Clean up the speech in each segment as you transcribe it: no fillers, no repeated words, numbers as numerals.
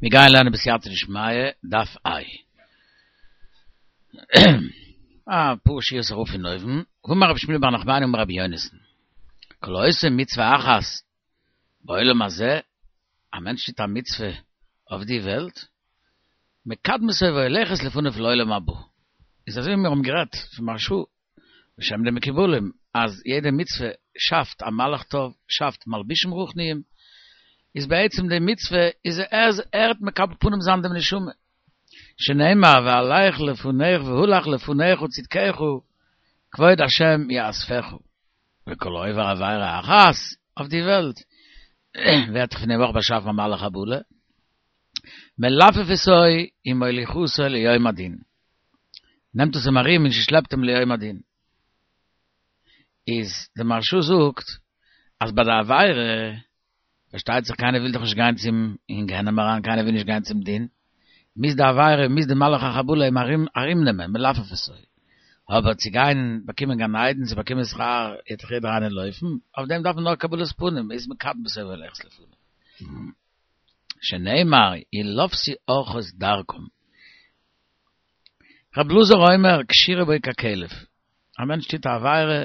מיר גייען לערנען בסייעתא דשמיא, דף ע'. א פאר שורות ארויף פון אויבן, ואמר רבי שמואל בר נחמני אמר רבי יונתן, כל העושה מצוה אחת בעולם הזה, א מענטש טוט א מצוה אויף די וועלט, מקדמתו והולכת לפניו לעולם הבא. איז אזוי ווי מיר האבן גערעדט פון מהרש"א בשם די מקובלים אז יעדע מצוה שאפט א מלאך טוב, שאפט מלבישים רוחניים, איז בעצם די מצוה איז ער ער וועט מקבל פנים זיין דעם נשמה, שנאמר והלך לפניך והלך לפניך צדקך כבוד השם יאספך, וכל העובר עבירה אחת אויף די וועלט ווערט פון דעם אויך באשאפן א מלאך חבלה, מלפפתו ומוליכתו ליום הדין. נעמט עס אים ארום און שלעפט אים ליום הדין. איז די מהרש"א זאגט אז ביי די עבירה, פארשטייט זיך קיינער וויל דאך נישט גיין צום אין גיהנום אריין, קיינער וויל נישט גיין צום דין, מוז די עבירה, מוז די מלאך החבלה אים ארום ארומנעמען, מלפפתו. אבער צו גיין באקומען גן עדן, צו באקומען שכר, וועט דאך יעדער איינער לויפן, אויף דעם דארף מען נאר קבלת פנים, איז מקדמתו והולכת לפניו. שנאמר ילפתו ארחות דרכם. רבי אלעזר אומר קשירה בו ככלב, א מענטש טוט א עבירה,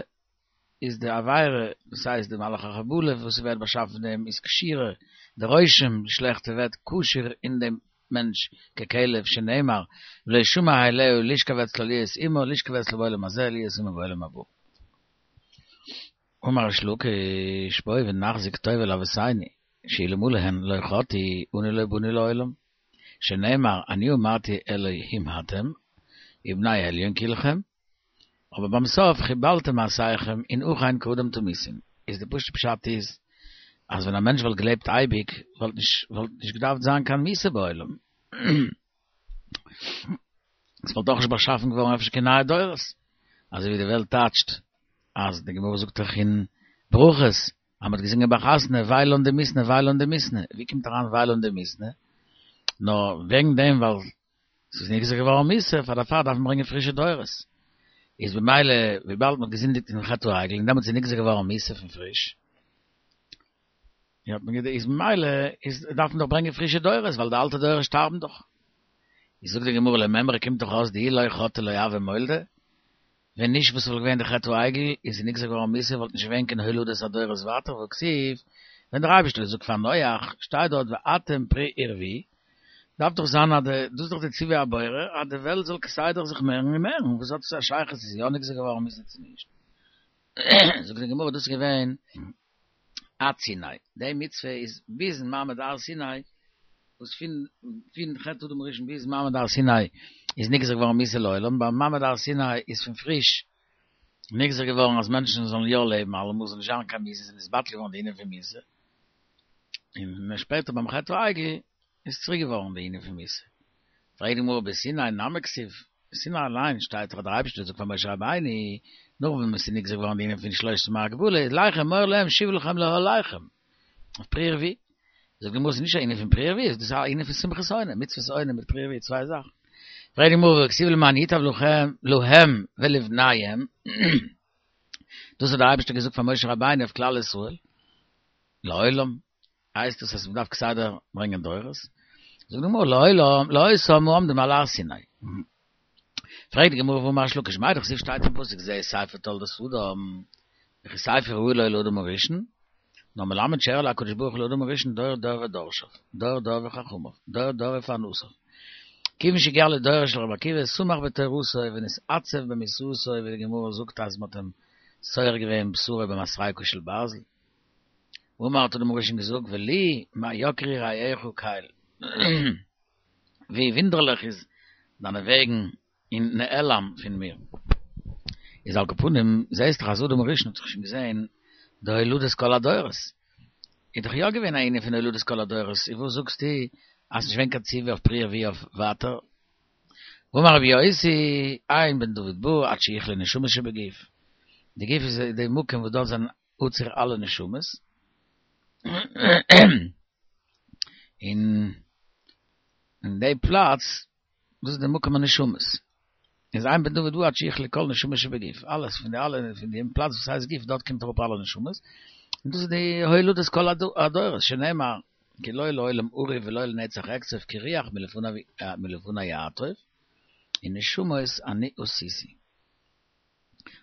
איז די עבירה, דאס הייסט די מלאך החבלה וואס ווערט באשאפן פון דעם איז קשירה, די רושם, די שלעכטע ווערט קשור אין דעם מענטש ככלב, שנאמר ולא שמע אליה לשכב אצלה להיות עמה, לשכב אצלה בעולם הזה להיות עמה בעולם הבא. אמר ריש לקיש, בואו ונחזיק טובה לאבותינו, שאלמלא הן לא חטאו, אנו לא באנו לעולם. שנאמר, אני אמרתי אלהים אתם, ובני עליון כלכם, אבער ביים סוף חיבלתם מעשיכם און אכן כאדם תמותון. איז די פשוטע פשט איז, אז ווען א מענטש וואלט געלעבט אייביג, וואלט נישט וואלט נישט געדארפט זיין קיין מיתה בעולם. עס וואלט אויך נישט באשאפן געווארן אפשר קיין נייע דורות. אזוי ווי די וועלט טייטשט, אז די גמרא זאגט דאך אין ברכות, אז מ'האט געזינגען ביי חתונה וויי לן דמיתנא וויי לן דמיתנא, ווי קומט אריין וויי לן דמיתנא? נאר וועגן דעם ווייל ס'איז נגזר געווארן מיתה, פאר דערפאר דארף מען ברענגען פרישע דורות. איז במילא וויבאלד מ'האט געזינדיגט אין חטא העגל און דעמאלטס איז נגזר געווארן מיתה פון פריש, האט מען איז ממילא איז דארף מען דאך ברענגען פרישע דורות ווייל די אלטע דורות שטארבן דאך. איז זאגט די גמרא למימרא קומט דאך אויס דאי לא חטאו לא הוו מולדי, ווען נישט וואס וואלט געווען די חטא העגל און ס'איז נגזר געווארן מיתה וואלט נישט געווען קיין הולדת הדורות ווייטער והכתיב ווען דער אייבערשטער האט געזאגט פאר נח שטייט דארט ואתם פרו ורבו דארף דאך זיין אז די דאס איז דאך די ציווי הבורא אז די וועלט זאל כסדר זיך מערן און מערן וואס האט עס א שייכות צו ס'איז יא נגזר געווארן מיתה צו נישט זאגט די גמרא דאס איז געווען עד סיני, די מצוה איז ביזן מעמד הר סיני, וואס פון פון חטא אדם הראשון ביז מעמד הר סיני איז נגזר געווארן מיתה לעולם, ביים מעמד הר סיני איז פון פריש נגזר געווארן אז מענטשן זאלן יא לעבן אלעמאל, זאל נישט זיין קיין מיתה, איז נתבטל געווארן די ענין פון מיתה, און שפעטער ביים חטא העגל איז צוריק געווארן די ענין פון מיתה. פרעגט די גמרא בסיני נמי כתיב, בסיני אליין שטייט דאך אז דער אייבערשטער האט געזאגט פאר משה רבינו, נאך ווען עס איז נגזר געווארן די ענין פון שלושת ימי הגבלה, איז לך אמור להם שובו לכם לאהליכם, אויף פרו ורבו. זאגט די גמרא ס'איז נישט א ענין פון פרו ורבו, דאס איז א ענין פון שמחת עונה, מצוות עונה מיט פרו ורבו צוויי זאכן. פרעגט די גמרא והכתיב למען ייטב לכם להם ולבניהם, דאס האט דער אייבערשטער געזאגט פאר משה רבינו אויף כלל ישראל, לעולם, הייסט עס אז מ'דארף כסדר ברענגען דורות? זאגט די גמרא לעולם לאותם העומדים על הר סיני. פרעגט די גמרא והאמר ריש לקיש מאי דכתיב שטייט אין פסוק זה ספר תולדות אדם וכי ספר ראוי לו לאדם הראשון נאר מלמד שהראה לו הקדוש ברוך הוא לאדם הראשון דור דור ודורשיו דור דור וחכמיו דור דור ופרנסיו כיוון שהגיע לדורו של רבי עקיבא שמח בתורתו ונתעצב במיתתו ווי די גמרא זאגט אז מ'האט אים סורק געווען בשרו במסרקה של ברזל. אמר האט אדם הראשון געזאגט ולי מה יקרו רעיך קל ווי ווינדערליך איז דיינע וועגן און נעלם פון מיר. איז על כל פנים זעהסט דאך אז אדם הראשון האט דאך שוין געזעהן די הולדת כל הדורות, איז דאך יא געווען א ענין פון הולדת כל הדורות, איז וואס זאגסטו אז ס'נישט געווען קיין ציווי אויף פרו ורבו אויף ווייטער? ואמר רבי יוסי, אין בן דוד בא עד שיכלו נשמות שבגוף, די גוף איז די מקום וואס דארט זענען אוצר אלע נשמות, און אין די פלאץ, דאס איז די מקום הנשמות, איז אין בן דוד בא עד שיכלו כל נשמות שבגוף, אלעס פון די אלע פון דעם פלאץ וואס הייסט גוף דארט קומט אראפ אלע נשמות, און דאס איז די הולדת כל הדורות, שנאמר. כי לא לעולם אריב ולא לנצח אקצוף כי רוח מלפני יעטוף, און נשמות אני עשיתי.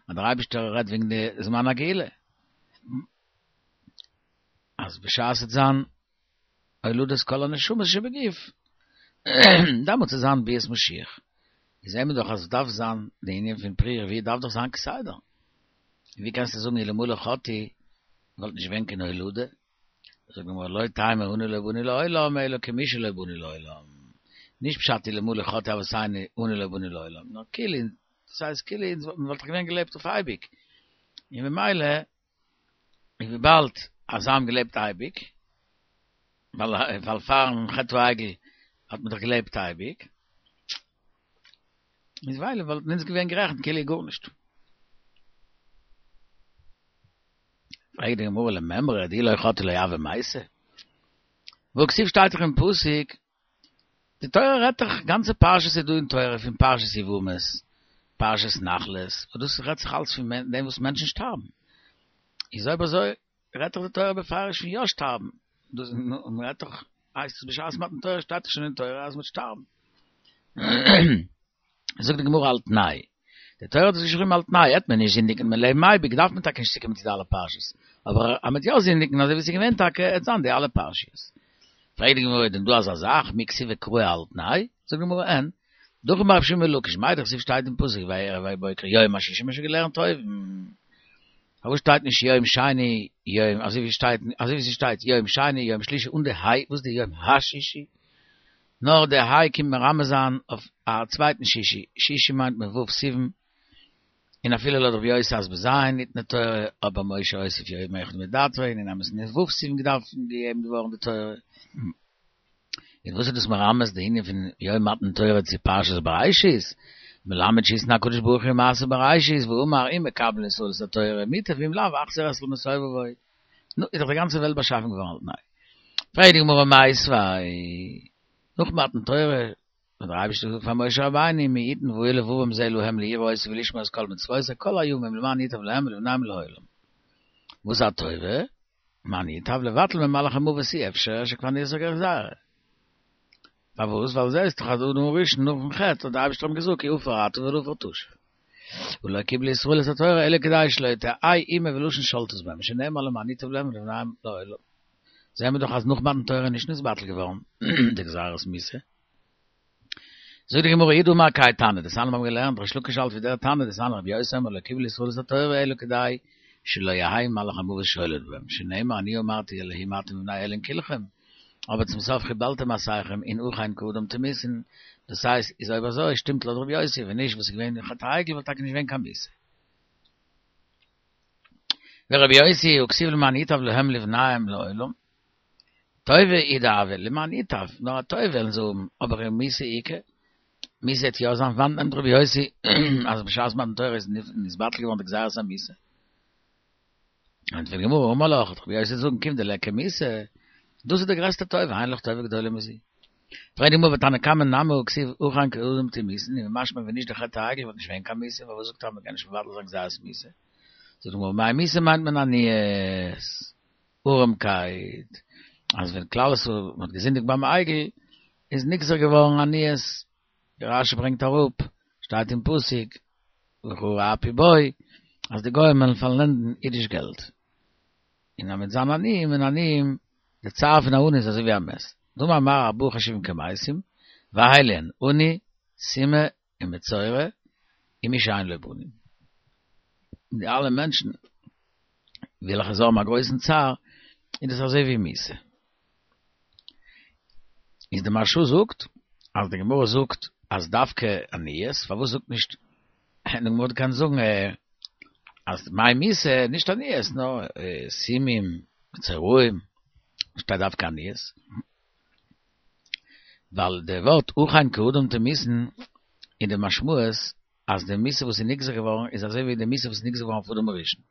אז דער אייבערשטער רעדט וועגן די זמן הגאולה, אז בשעת ס'וועט זיין הולדת כל הנשמות שבגוף, דעמאלטס וועט זיין ביאת משיח. איז זעהן מיר דאך אז דארף זיין די ענין פון פריה ורביה דארף דאך זיין כסדר. ווי קענסטו זאגן אלמלא חטאו וואלט נישט געווען קיין הולדה? זאגט די גמרא לא תימא אנו לא באנו לעולם אלא כמי שלא באנו לעולם. נישט פשט אלמלא חטאו אבותינו אנו לא באנו לעולם, נאר כאילו, דאס הייסט כאילו אונז וואלט דאך געווען געלעבט אויף אייביג, און ממילא און וויבאלד אז זיי האבן געלעבט אייביג, ווייל פארן חטא העגל האט מען דאך געלעבט אייביג, איז ווייל וואלטן אונז געווען גערעכנט כאילו גארנישט. פרעגט די גמרא למימרא דאי לא חטאו לא הוה מייתי, והכתיב שטייט דאך אין פסוק, די תורה רעדט דאך, גאנצע פרשיות איז דא אין תורה פון פרשת יבמות, פרשת נחלות, וואס דאס רעדט זיך אלץ פון דעם וואס מענטשן שטארבן, איז אויב אזוי רעדט דאך די תורה בפירוש פון יא שטארבן, דאס מען רעדט דאך הייסט עס בשעת מתן תורה שטייט דאך שוין אין תורה אז מען וועט שטארבן. זאגט די גמרא על תנאי, די תורה האט עס געשריבן על תנאי, העט מען נישט זינדיגן מען לעבן אייביג דארף מען טאקע נישט צוקומען צו די אלע פרשות, אבער אז מען וועט יא זינדיגן אזוי ווי עס איז געווען טאקע עט זיין די אלע פרשיות. פרעגט די גמרא איז דען דא אזא זאך מי כתיבי קראי על תנאי? זאגט די גמרא אין, דהכי אמר רבי שמעון בן לקיש מאי דכתיב שטייט אין פסוק ויהי ערב ויהי בוקר יום השישי מ'האט שוין געלערנט אויבן פארוואס שטייט נישט יום שני יום אזוי ווי שטייט אזוי ווי ס'שטייט יום שני יום שלישי אן די היי וואס די יום השישי? נאר די היי קומט מרמז זיין אויף א צווייטן שישי, שישי מיינט מען ו' סיוון, און אפילו לויט רבי יוסי אז בז' ניתנה תורה, אבער משה הוסיף יום אחד מדעתו, און אין אמת'ן איז ו' סיוון געדארפט געגעבן געווארן די תורה. און וואס איז דאס מרמז די ענין פון יום מתן תורה צו פרשת בראשית? מלמד שהתנה הקדוש ברוך הוא מעשה בראשית ואמר אם מקבלין ישראל את התורה מוטב ואם לאו החזיר את למסובבו. נו, איז דאך די גאנצע וועלט באשאפן געווארן על תנאי. פרעגט די גמרא מיתיבי, נאך מתן תורה האט דער אייבערשטער געזאגט פאר משה רבינו מי יתן והיה לבבם זה להם ליראו אותי ולשמור את כל מצותי כל הימים למען ייטב להם ולבניהם לעולם. וואס א טובה? למען ייטב לבטל ממלאך המוות אי אפשר שכבר נגזרה גזירה. פארוואס? ווייל זעהסט דאך אז אדם הראשון נאכן חטא האט דער אייבערשטער אים געזאגט כי עפר אתה ולעפר תשוב. ולא קיבלו ישראל את התורה אלא כדי שלא תהא אומה ולשון שולטת בהם, שנאמר למען ייטב להם ולבניהם לעולם. זעהן מיר דאך אז נאך מתן תורה איז נישט נתבטל געווארן די גזירת מיתה. זאגט די גמרא איהו דאמר כהאי תנא, דתניא מיר האבן געלערנט ריש לקיש האלט ווי דער תנא דתניא רבי יוסי אומר לא קיבלו ישראל את התורה אלא כדי שלא יהא מלאך המוות שולט בהם, שנאמר אני אמרתי אלהים אתם ובני אלין כלכם, אבער צום סוף חיבלתם מעשיכם און אכן כאדם תמותון, דאס הייסט איז אויב אזוי שטימט לויט רבי יוסי, ווען נישט וואס איז געווען חטא העגל וואלט טאקע נישט געווען קיין מיתה. ורבי יוסי הא כתיב למען ייטב להם ולבניהם לעולם, טובה הוא דהוה למען ייטב, נאר א טובה וועלן זיי האבן, אבער מיתה איכא, מיתה וועט יא זיין, וואנעט נעמט רבי יוסי אז בשעת מתן תורה איז נתבטל געווארן די גזירת המיתה? ענטפערט די גמרא, אמר לך, רבי יוסי זאגן כיון דליכא מיתה, דאס איז די גרעסטע טובה, אין לך טובה גדולה מזו. פרעגט די גמרא ותנא קמא נמי הא כתיב אכן כאדם תמותון, און משמע ווען נישט די חטא העגל וואלט נישט געווען קיין מיתה, פארוואס זאגט ער אז מ'קען נישט מבטל זיין גזירת מיתה? זאגט די גמרא, מאי מיתה מיינט מען עניות, ארעמקייט, אז ווען כלל ישראל האט געזינדיגט ביים עגל איז נגזר געווארן עניות, ווי רשי ברענגט אראפ, שטייט אין פסוק, וכרע אפי בו, אז די גוים וועלן פארלענדן אידיש געלט. און אז מ'וועט זיין עניים און עניים, די צער פון א עני איז אזוי ווי א מת. דאמר מר ארבעה חשובין כמתים, ואלו הן, עני, סומא, און מצורע, און מי שאין לו בנים. די אלע מענטשן וועלכע זיי האבן א גרויסן צער, איז דאס אזוי ווי מיתה. איז די מהרשא זאגט אז די גמרא זאגט אז דווקא עניות, פארוואס זאגט נישט, די גמרא האט געקענט זאגן אז מאי מיתה נישט עניות נאר סומים, מצורעים, שטייט דווקא עניות? ווייל די ווארט אכן כאדם תמותון איז די משמעות אז די מיתה וואס איז נגזר געווארן איז אזוי ווי די מיתה וואס איז נגזר געווארן אויף אדם הראשון.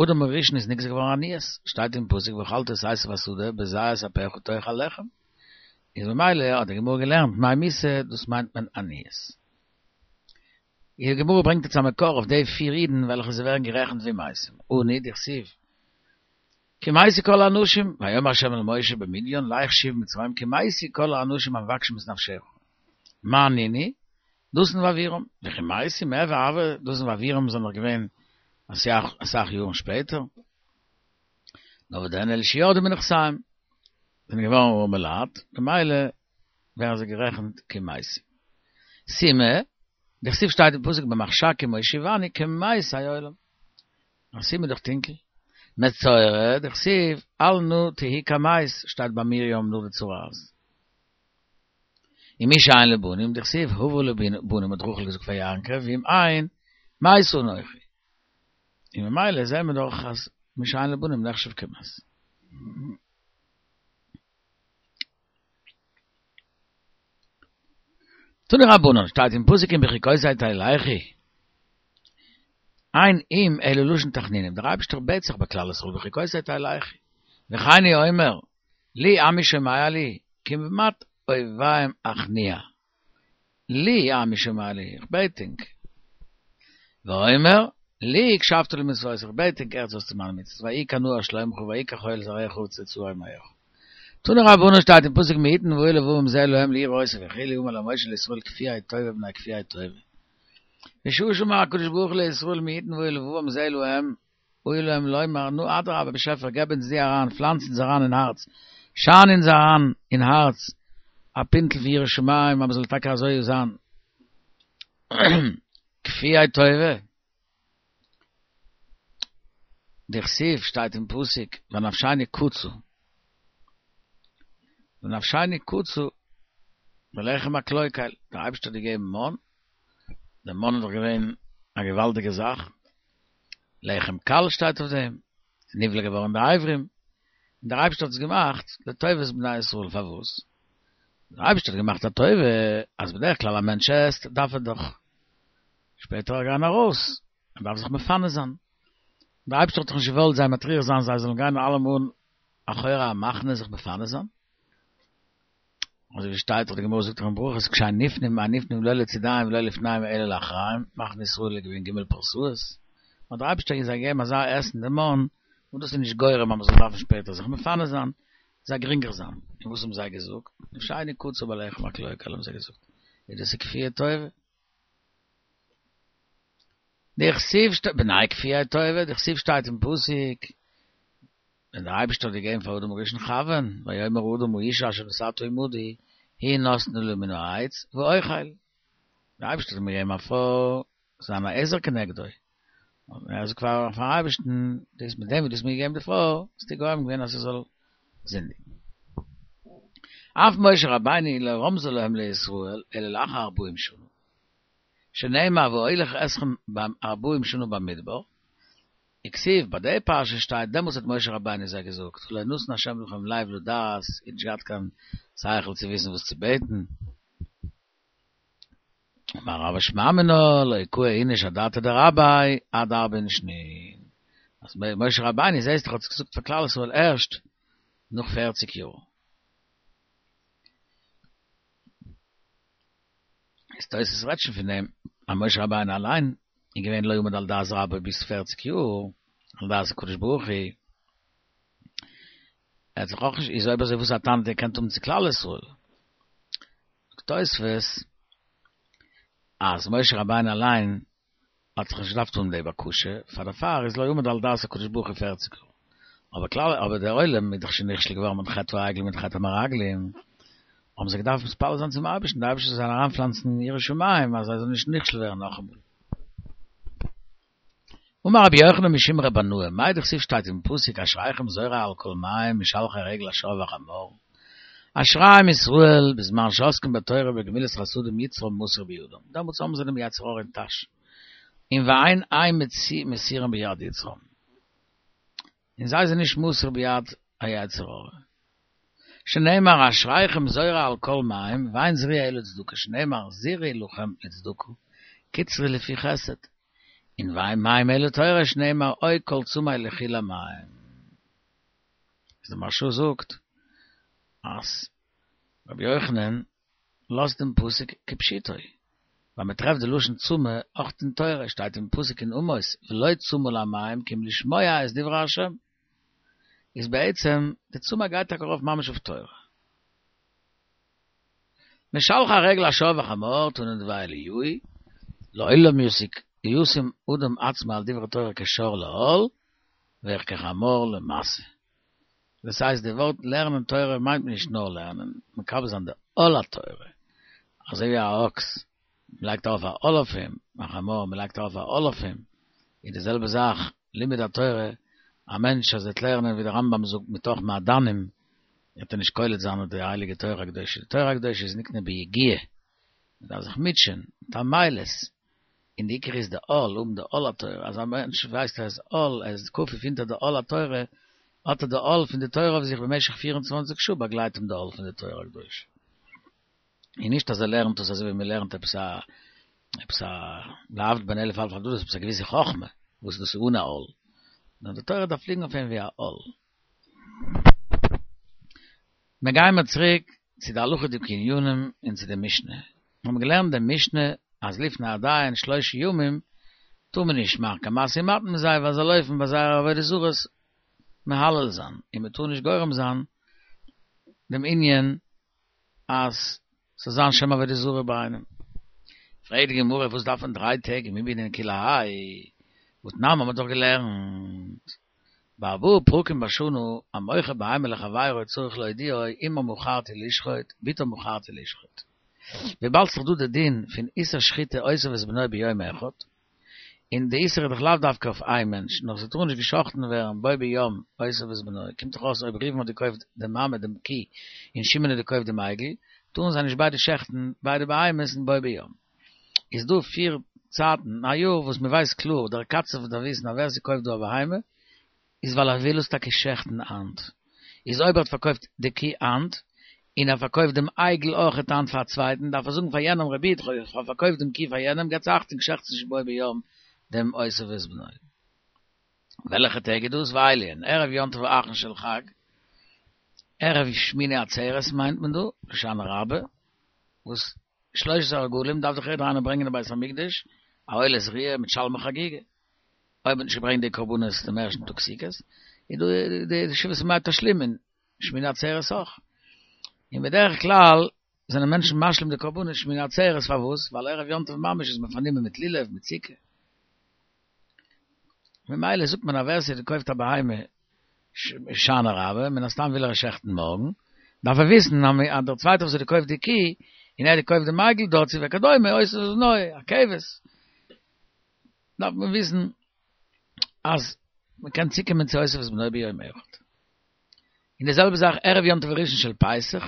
אדם הראשון איז נגזר געווארן עניות, שטייט אין פסוק ואכלת את עשב השדה בזעת אפיך תאכל לחם, איז ממילא האט די גמרא געלערנט מאי מיתה דאס מיינט מען עניות. די גמרא ברענגט יעצט א מקור אויף די פיר אידן וועלכע זיי ווערן גערעכנט ווי מתים, עני דכתיב. כי מתו כל האנשים, ויאמר ה' אל משה במדיין, לך שוב מצרים כי מתו כל האנשים המבקשים את נפשך. מאי נינהו? דתן ואבירם, וכי מתו מיהוה הוו, דתן ואבירם זענען דאך געווען אסאך יארן שפעטער. נאר וואס דען אלא שירדו מנכסיהם, זענען געווארן ארעמע לייט, ממילא ווערן זיי גערעכנט כמתים. סומא, דכתיב שטייט אין פסוק במחשכים הושיבני כמתי עולם. א סומא איז דאך טונקל. מצורע, דכתיב אל נא תהי כמת, שטייט ביי מרים נאך די צרעת. און מי שאין לו בנים, דכתיב הבה לי בנים האט רחל געזאגט פאר יעקב, ואם אין, מתה אנכי. און ממילא זעהן מיר דאך אז מי שאין לו בנים נחשב כמת. תנו רבנן, שטייט אין פסוק אם בחוקותי תלכו, אין אם אלא לשון תחנונים, דער אייבערשטער בעט זיך ביי כלל ישראל בחוקותי תלכו, וכן הוא אומר, לי עמי שומע לי, כמעט אויביהם אכניע. לי עמי שומע לי, איך בעט ענק. ואומר, לי הקשבת למצותי, איך בעט ענק הערטס אויס צו מיינע מצוות, ויהי כנהר שלומך ויהי כחול זרעך וצאצאי מעיך. תנו רבנן שטייט אין פסוק מי יתן ובאו לבבם זה אל האם ליראו אותו וכו' אמר להם משה לישראל כפויי טובה בני כפויי טובה. בשעה שאמר הקדוש ברוך הוא לישראל מי יתן ובאו לבבם זה אל האם היה להם לומר נו אדרבה באשעפער געב אונז דו אריין פלאנץ אונז אריין אין הארץ שיין אונז אריין אין הארץ א פינטל פון יראת שמים אז מ'זאל טאקע אזוי זיין כפויי טובה. דכתיב שטייט אין פסוק ונפשנו קצה ונפשנו קצה בלחם הקלוקל דער אייבערשטער האט געגעבן מן, דער מן איז דאך געווען א געוואלדיגע זאך, לחם קל שטייט אויף דעם, ס'איז נבלע געווארן די אברים, און דער אייבערשטער האט עס געמאכט לטובת בני ישראל, פארוואס? דער אייבערשטער האט געמאכט א טובה אז בדרך כלל א מענטש עסט דארף ער דאך שפעטער גיין ארויס, ער דארף זיך מפנה זיין, דער אייבערשטער האט דאך נישט געוואלט זיי מטריח זיין זיי זאלן גיין אלעמאל אחורי המחנה זיך מפנה זיין, אזוי ווי שטייט דאך די גמרא זאגט דאך אין ברכות כשאין נפנים אין נפנים לא לצידיהם ולא לפניהם אלא לאחריהם, מחנה ישראל איז געווען ג' פרסאות, האט דער אייבערשטער זיי געגעבן אזא עסן די מן, וואס דאס איז נישט גורם אז מען זאל דארפן שפעטער זיך מפנה זיין, זיי גרינגער זיין, און וואס האבן זיי געזאגט? נפשנו קצה בלחם הקלוקל האבן זיי געזאגט, איז דאס איז כפויי טובה? דכתיב שטייט בני כפויי טובה, דכתיב שטייט אין פסוק, ווען דער אייבערשטער האט געגעבן פאר אדם הראשון חוה'ן, ויאמר האדם האשה אשר נתת עמדי, היא נתנה לי מן העץ, ואוכל. דער אייבערשטער האט אים געגעבן א פרוי, זיין א עזר כנגדו. און ער זאגט פאר פארן אייבערשטן, דאס מיט דעם וואס דו האסט מיר געגעבן די פרוי, האסטו גורם געווען אז איך זאל זינדיגן. אף משה רבינו לא רמזה להם לישראל, אלא לאחר ארבעים שנה. שנאמר ואוליך אתכם ארבעים שנה במדבר, וכתיב, ביי די פרשה שטייט דעמאלטס האט משה רבינו זיי געזאגט, ולא נתן השם לכם לב לדעת, איר האט נישט געהאט קיין שכל צו וויסן וואס צו בעטן. אמר רבא שמע מינה, לא קאי איניש אדעתיה דרביה עד ארבעין שנין. אז משה רבינו זעהסט דאך האט עס געזאגט פאר כלל ישראל ערשט נאך פערציג יאר. איז תוס' רעדט שוין פון דעם אז משה רבינו אליין איז געווען לא עמד על דעת רבו ביז פערציג יאר, על דעת הקדוש ברוך הוא. ער האט זיך אויך נישט, איז אויב אזוי וואס א טענה האט ער געקענט האבן צו כלל ישראל? זאגט תוספות אז משה רבינו אליין האט זיך נישט געדארפט האבן די בקשה, פאר דערפאר איז לא עמד על דעת הקדוש ברוך הוא פערציג יאר. אבער כלל אבער דער עולם איז דאך שוין נכשל געווארן מיט חטא העגל מיט חטא המרגלים, האבן זיי געדארפט מתפלל זיין צום אייבערשטן, דער אייבערשטער זאל זיי אריינפלאנצן יראת שמים אז זיי זאלן נישט נכשל ווערן נאכאמאל. אמר רבי יוחנן משום ר' בנאה, מאי דכתיב שטייט אין פסוק אשריכם זורעי על כל מים משלחי רגל השור והחמור, אשריהם ישראל בזמן שעוסקים בתורה ובגמילות חסדים יצרם מסור בידם, דעמאלטס האבן זיי דעם יצר הרע אין טאש, און ואין הם מסורים ביד יצרם, און זיי זענען נישט מסור ביד היצר הרע. שנאמר אשריכם זורעי על כל מים, ואין זריעה אלא צדקה, שנאמר זרעו לכם לצדקה, קצרו לפי חסד, און ואין מים אלא תורה, שנאמר אוי כל צמא לכו למים. איז די מהרשא זאגט אז רבי יוחנן לאזט דעם פסוק כפשוטו, ווייל מען טרעפט די לשון צמא אויך אין תורה, שטייט אין פסוק אין עמוס ולא צמא למים כי אם לשמוע את דברי ה'. איז בעצם די צומח גייט טאקע ארויף ממש אויף תורה. משלחי הרגל השור והחמור תנא דבי אליהו לעולם יסיק ישים אדם עצמו על דברי תורה כשור לעול וכחמור למשא. דאס הייסט די ווארט לערנען תורה מיינט מען נישט נאר לערנען, מקבל זיין די עול התורה, אזוי ווי א אקס, מען לייגט ארויף א עול אויף אים, א חמור, מען לייגט ארויף א עול אויף אים, איז די זעלבע זאך לימוד התורה, א מענטש אז ער וועט לערנען ווי דער רמב"ם זאגט מתוך מעדנים, וועט ער נישט קולט זיין די הייליגע תורה הקדושה, די תורה הקדושה איז נקנה ביגיעה, מען דארף זיך מוטשען, מיט עמלות, און די עיקר איז די עול, האבן די עול התורה, אז א מענטש ווייסט אז עול, ער איז כפוף אונטער די עול התורה, האט ער די עול פון די תורה אויף זיך במשך פיר און צוואנציג שעה באגלייט אים די עול פון די תורה הקדושה. און נישט אז ער לערנט עס אזוי ווי מען לערנט עפעס א עפעס א להבדיל בין אלף אלפי הבדלות עפעס א געוויסע חכמה וואס דאס איז אן א עול, נאר די תורה דארף ליגן אויף אים ווי א עול. מיר גייען מיר צוריק צו די הלכה'דיגע ענינים און צו די משנה. מיר האבן געלערנט די משנה אז לפני הדיין שלושה ימים טאר מען נישט מאכן קיין משא ומתן מיט זיי ווייל זיי לויפן ביי זייערע עבודה זרות מהלל זיין, און מען טאר נישט גורם זיין דעם ענין אז ס'זאל זיין שם עבודה זרה ביי איינעם. פרעגט די גמרא וואס דארף מען דריי טעג ומי בעינן כולי האי, והתנן האט מען דאך געלערנט בארבעה פרקים בשנה המוכר בהמה לחבירו צריך להודיעו אמה מכרתי לשחוט בתו מכרתי לשחוט. וויבאלד ס'איז דא די דין פון איסור שחיטה אותו ואת בנו ביום אחד, און די איסור איז דאך לאו דווקא אויף איין מענטש, נאר ס'טאר נישט גע'שחט'ן ווערן בו ביום אותו ואת בנו, קומט דאך אויס אויב ראובן האט געקויפט די מאמע דעם קי און שמעון האט געקויפט דעם עגל, טארן זיי נישט ביידע שעכטן ביידע בהמות אין בו ביום. איז דא פיר צייטן אין א יאר וואס מ'ווייסט קלאר, דער קצב דארף וויסן אז ווער ס'קויפט דא א בהמה איז ווייל ער וויל עס טאקע שעכטן היינט, איז אויב ער האט פארקויפט די קי היינט, און ער פארקויפט דעם עגל אויכעט היינט פאר א צווייטן, דארף ער זאגן פאר יענעם רבי איד כ'האב פארקויפט דעם קי פאר יענעם, געטס אכטונג שעכטס נישט בו ביום דעם אותו ואת בנו. וועלכע טעג איז דאס? ואלו הן, ערב יום טוב האחרון של חג, ערב שמיני עצרת מיינט מען דא, הושענא רבה, וואס שלושת הרגלים דארף דאך יעדער איינער ברענגען אין בית המקדש א עולת ראיה מיט שלמי חגיגה. אויב מ'האט נישט געברענגט די קרבנות דעם ערשטן טאג סוכות, איז דא די שבעת ימי תשלומין, שמיני עצרת אויך. און בדרך כלל זענען מענטשן משלים די קרבנות שמיני עצרת, פארוואס? ווייל ערב יום טוב ממש איז מען פארנומען מיט לולב, מיט סוכה. ממילא זאגט מען אז ווער ס'האט געקויפט א בהמה הושענא רבה, מן הסתם וויל ער עס שעכטן מארגן, דארף ער וויסן אז דער צווייטער וואס האט געקויפט די קי, און ער האט געקויפט דעם עגל דערצו וכדומה, אותו ואת בנו, א כבש. דארף מען וויסן אז מען קען צוקומען צו אותו ואת בנו ביום אחד. און די זעלבע זאך ערב יום טוב הראשון של פסח,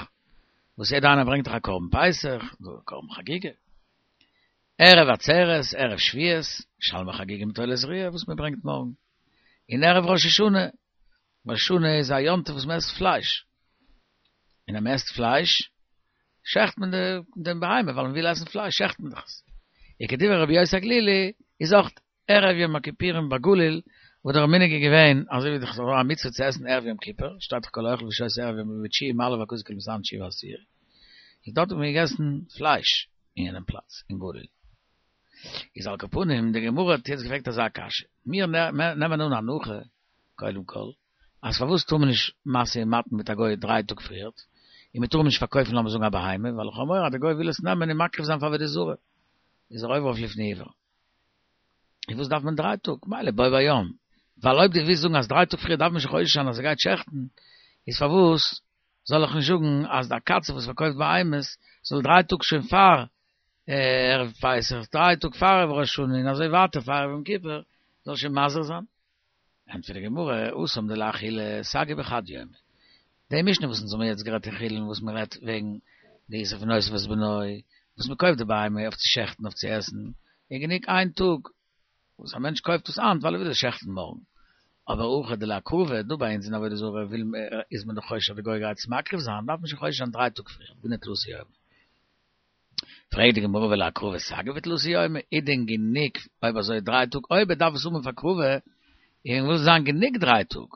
וואס יעדער איינער ברענגט דאך א קרבן פסח, קרבן חגיגה. ערב עצרת, ערב שבועות, שלמי חגיגה מיט עולת ראיה וואס מען ברענגט מארגן. און ערב ראש השנה, ראש השנה איז א יום טוב וואס מען עסט פלייש. און אז מען עסט פלייש, שעכט מען דעם בהמה, ווייל מען וויל עסן פלייש, שעכט מען דאך עס. וכדברי רבי יוסי הגלילי, איז אויך ערב יום הכיפורים בגליל, וואו דער מנהג איז געווען, אזוי ווי דאך ס'איז א מצוה צו עסן ערב יום כיפור, שטייט דאך כל האוכל ושותה ערב יום בתשיעי מעלה הכתוב כל המתענה בתשיעי ובעשירי, איז דארט האט מען געגעסן פלייש אין יענעם פלאץ, אין גליל. איז על כל פנים, די גמרא האט יעצט געפרעגט אזא קשיא, מיר נעמען אן הנחה, קודם כל, אז פארוואס טאר מען נישט משא ומתן מיט א גוי דריי טאג פריערט, און מען טאר אים נישט פארקויפן לאמיר זאגן א בהמה, ווייל איך האב מורא אז די גוי וויל עס נעמען און מקריב זיין פאר עבודה זרה, איז ער עובר אויף לפני עור. און וואס דארף מען דריי טאג? מילא בו ביום, ווייל אויב דו ווילסט זאגן אז דריי טאג פריער דארף מען שוין חושש זיין אז ער גייט שעכטן, איז פארוואס זאל איך נישט זאגן אז דער קצב וואס פארקויפט בהמות זאל דריי טאג שוין פאר ערב פסח, דריי טאג פאר ערב ראש השנה און אזוי ווייטער פאר ערב יום כיפור זאל שוין מזהיר זיין? ענטפערט די גמרא, התם דלאכילה סגי בחד יומא. די משנה וואס אונז האבן יעצט גערעדט אין חולין וואס מען רעדט וועגן די איסור פון אותו ואת בנו, וואס מען קויפט די בהמה אויף צו שעכטן אויף צו עסן, איז גענוג איין טאג וואס א מענטש קויפט עס היינט ווייל ער וויל עס שעכטן מארגן. אבער הכא דלהקרבה, דא ביי אונז אין עבודה זרה וויל איז מען דאך חושש אז די גוי גייט עס מקריב זיין, דארף מען שוין חושש זיין דריי טאג פריער, דינא תלתא יומי. פרעגט די גמרא ולהקרבה סגי בתלתא יומי, איז דען גענוג אויב אזוי דריי טאג, אויב ער דארף עס האבן פאר הקרבה, און מוז זיין גענוג דריי טאג,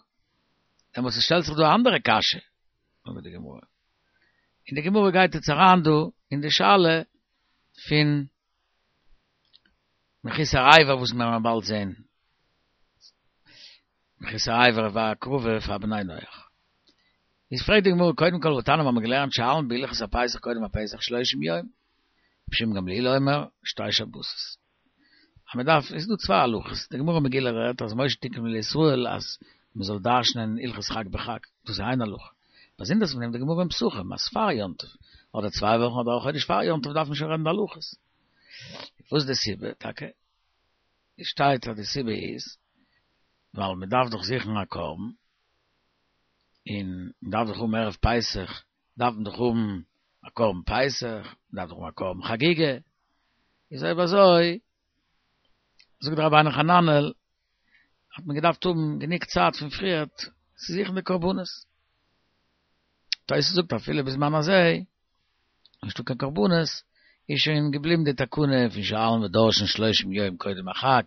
דעמאלטס שטעלט זיך דא א אנדערע קשיא, זאגט די גמרא, און די גמרא גייט יעצט אריין דא אין די שאלה פון מחוסר אבר וואס מיר וועלן באלד זען. מחוסר אבר והקרבה פאר בני נח. איז פרעגט די גמרא קודם כל והתניא האבן מיר געלערנט שואלין בהלכות הפסח קודם הפסח שלושים יום, רבי שמעון גמליאל אומר שתי שבתות. אז מען דארף, איז דא צוויי הלכות, די גמרא מגילה רעדט אז משה תיקן לישראל אז מען זאל דרש'נען הלכות חג בחג, דאס איז איין הלכה. באזונדערס פון דעם די גמרא אין פסחים אז פאר יום טוב, אדער צוויי וואכן אדער א חודש פאר יום טוב דארף מען שוין רעדן די הלכות. וואס איז די סיבה טאקע? עס שטייט אז די סיבה איז ווייל מען דארף דאך זוכן א קרבן, און מען דארף דאך האבן ערב פסח דארף מען דאך האבן א קרבן פסח, מען דארף דאך האבן א קרבן חגיגה, איז אויב אזוי זאגט דער רבינו חננאל האט מען געדארפט האבן גענוג צייט פון פריערט צו זוכן די קרבנות. תוס' זאגט אפילו בזמן הזה נישטא קיין קרבנות, איז שוין געבליבן די תקנה פון שואלין ודורשין שלושים יום קודם החג,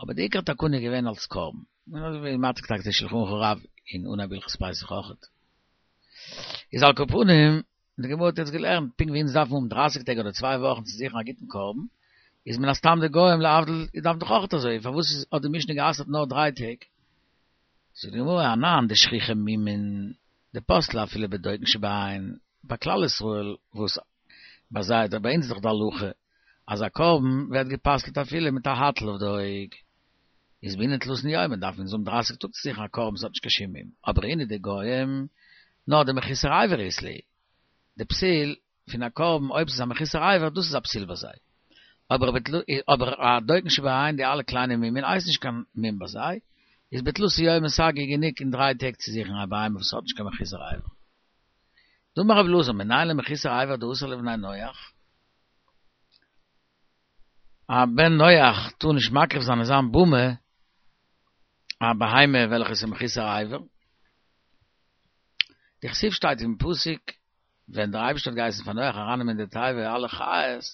אבער די עיקר תקנה איז געווען אלס קרבן, און אזוי ווי מעתיק טאקע די שלחן ערוך הרב אין אנהייב הלכות פסח אויכעט. איז על כל פנים, די גמרא האט יעצט געלערנט, פונקט ווי אונז דארפן האבן דרייסיג טעג אדער צוויי וואכן צו זוכן א גוטן קרבן, איז מן הסתם די גוים להבדיל דארפן דאך אויכעט אזוי, פארוואס האט די משנה גע'אסר'ט נאר דריי טעג? זאגט די גמרא, אנן דשכיחי מומין דפסלי אפילו בדוקין שבעין, ביי כלל ישראל וואס ביי זיי אדער ביי אונז איז דאך די הלכה אז א קרבן ווערט גע'פסל'ט אפילו מיט א האטל אויף די אויג, איז בעינן תלתין יומין דארף מען האבן דרייסיג טאג צו זוכן א קרבן וואס האט נישט קיין שום מום, אבער אינהו די גוים נאר דמחוסר אבר אית להו, די פסול פון א קרבן אויב ס'איז א מחוסר אבר דאס איז א פסול ביי זיי, אבער אבער א דוקין שבעין די אלע קליינע מומין הייסט נישט קיין מום ביי זיי, איז בתלתא יומי סגי גענוג אין דריי טעג צו זוכן א בהמה וואס האט נישט קיין מחוסר אבר. דאמר רבי אלעזר מנין למחוסר אבר דאסור לבני נח? א בן נח טאר נישט מקריב זיין אין זיין במה א בהמה וועלכע איז מחוסר אבר. דכתיב שטייט אין פסוק ווען דער אייבערשטער האט געהייסן פאר נח ארייננעמען אין די תיבה אלע חיות,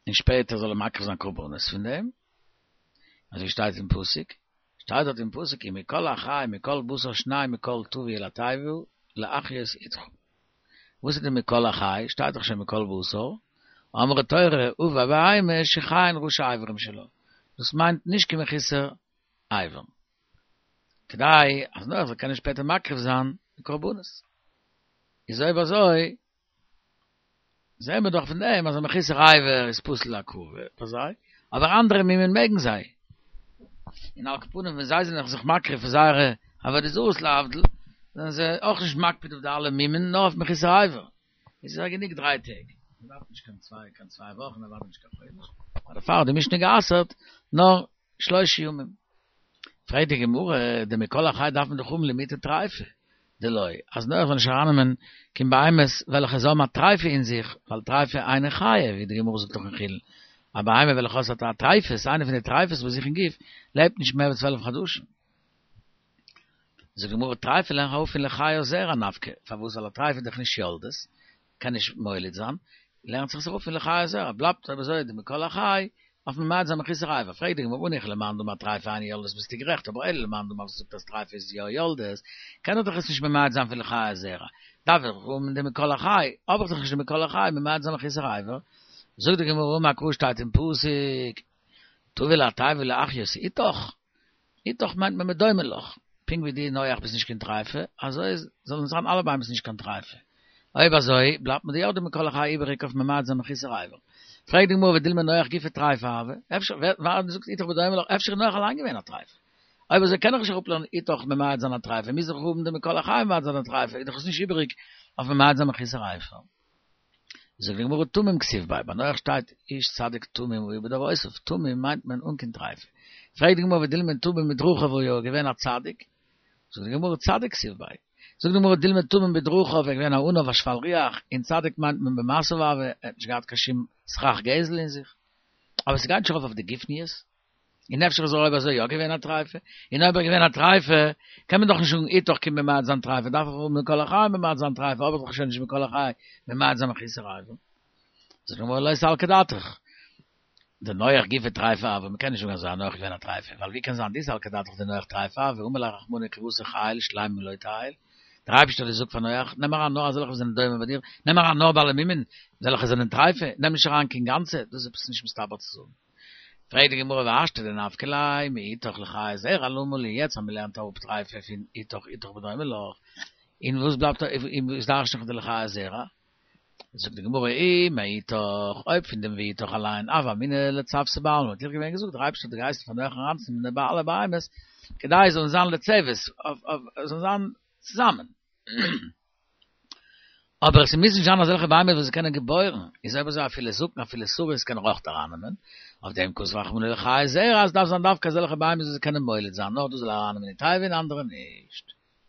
און שפעטער זאל ער מקריב זיין קרבנות פון דעם, אזוי שטייט אין פסוק, שטייט דארט אין פסוק ומכל החי מכל בשר שניים מכל תביא אל התיבה להחיות אתך. וואס איז די מכל החי? שטייט דאך שוין מכל בשר, אמרה תורה ובבהמה שחייין ראשי אברים שלה, דאס מיינט נישט קיין מחוסר אבר. כדי אז נח זאל קענען שפעטער מקריב זיין די קרבנות. איז אויב אזוי, זעהן מיר דאך פון דעם אז א מחוסר אבר איז פסול להקרבה ביי זיי, אבער אנדערע מומין מעגן זיי. און על כל פנים ווען זיי זענען זיך מקריב פאר זייערע עבודה זרות להבדיל, זענען זיי אויך נישט מקפיד אויף די אלע מומין, נאר אויף מחוסר אבר. איז זיי גענוג דריי טעג, מען דארף נישט קיין צוויי קיין צוויי וואכן, מען דארף נישט קיין חודש, דערפאר האט די משנה גע'אסר'ט נאר שלושה ימים. פרעגט די גמרא, די מכל החי דארף מען דאך האבן למעוטי טריפה, דלא, אז נח זאל נישט ארייננעמען קיין בהמות וועלכע זיי האבן א טריפה אין זיך, ווייל טריפה אינה חיה, ווי די גמרא זאגט דאך אין חולין, א בהמה וועלכע האט א טריפות, איינע פון די טריפות ביי זיך אין גוף, לעבט נישט מער ווי צוועלף חדשים. זאגט די גמרא, טריפה לערן איך אראפ פון לחיה זרע נפקא, פארוואס ווייל א טריפה איז דאך נישט יולדת, קען נישט מוליד זיין, לערנט זיך עס אראפ פון לחיה זרע, בלייבט אויב אזוי די מכל החי, אויף ממעט זיין מחוסר אבר, פרעגט די גמרא הניחא למאן דאמר טריפה אינה יולדת ביסטו גערעכט, אבער אלא למאן דאמר וואס זאגט אז טריפה איז יא יולדת, קען ער דאך עס נישט ממעט זיין פון לחיה זרע, דארף איך האבן די מכל החי, האב איך דאך נישט די מכל החי ממעט זיין מחוסר אבר, זאגט די גמרא אמר קרא שטייט אין פסוק, תביא אל התיבה להחיות אתך, אתך מיינט מען בדומה לך, פונקט ווי דו נח ביסט נישט קיין טרייפה, אזוי זאלן זיין אלע בהמות נישט קיין טרייפה. אויב אזוי, בלייבט מיר יא די מכל החי איבעריג אויף ממעט זיין מחוסר אבר. פרעגט די גמרא ודילמא נח גופא טרייפה הוה, אפשר, ווער האט געזאגט אתך בדומה לך, אפשר איז נח אליין געווען א טרייפה. אויב אזוי קען איך נישט אראפלערנען אתך ממעט זיין א טרייפה, מוז איך האבן די מכל החי ממעט זיין א טרייפה, איז דאך עס נישט איבעריג אויף ממעט זיין מחוסר אבר. זאגט די גמרא תמים כתיב ביה, ביי נח שטייט איש צדיק תמים היה בדורותיו, תמים מיינט מען אן קיין טרייפה. פרעגט די גמרא ודילמא תמים בדרכיו היה, געווען א צדיק? זאגט די גמרא צדיק כתיב ביה. זאגט די גמרא דילמא תמים בדרכיו ער איז געווען א עניו א שפל רוח, און צדיק מיינט מען במעשיו הוה, ער האט נישט געהאט קיין שום סכך גזל אין זיך. אבער ס'גייט נישט ארויף אויף די גופניות. און אפשר איז ער אויב אזוי יא געווען א טרייפה, און אויב ער איז געווען א טרייפה, קען מען דאך נישט זאגן אתך קומט ממעט זיין טרייפה, דארף איך האבן מכל החי ממעט זיין טרייפה, האב איך דאך שוין נישט מכל החי ממעט זיין מחוסר אבר. זאגט די גמרא לא סלקא דעתך, דנח גופא טרייפה הוה, מ'קען נישט זאגן אז נח איז געווען א טרייפה, ווייל ווי קען זיין דאי סלקא דעתך דנח טרייפה הוה, אמר ליה רחמנא כי אתא חיל שלימים לא תיעול, דער אייבערשטער האט געזאגט פאר נח, נעם אריין נאר אזעלכע וואס זענען דומה ביי דיר, נעם אריין נאר בעלי מומין, וועלכע זענען טרייפה, נעם נישט אריין קיין גאנצע, דאס איז עפעס נישט מסתבר צו זאגן. פרעגט די גמרא והשתא דנפקא ליה מאיתך לחיי זרע למה לי, יעצט אז מ'לערנט אראפ טרייפה פון איתך איתך בדומה לך, און וואס בלייבט און וואס דרש'ן איך די לחיי זרע? זאגט די גמרא אי מאיתך, אויב פון דעם ואיתך אליין, הוה אמינא לצוותא בעלמא, וואלט איך געווען געזאגט דער אייבערשטער האט געהייסן פאר נח אריינצונעמען די אלע בהמות כדי זיי זאלן זיין לצוות, זאלן זיין צוזאמען. אבער עס מוז נישט זיין אזעלכע בהמות וואס זיי קענען געבוירן, איז אויב אזוי אפילו זקן אפילו סריס קען ער אויך ארייננעמען, אויף דעם כתב רחמנא לחיי זרע אז עס דארף זיין דווקא אזעלכע בהמות וואס זיי קענען מוליד זיין, נאר דאס זאל ער ארייננעמען אין תיבה און אנדערע נישט.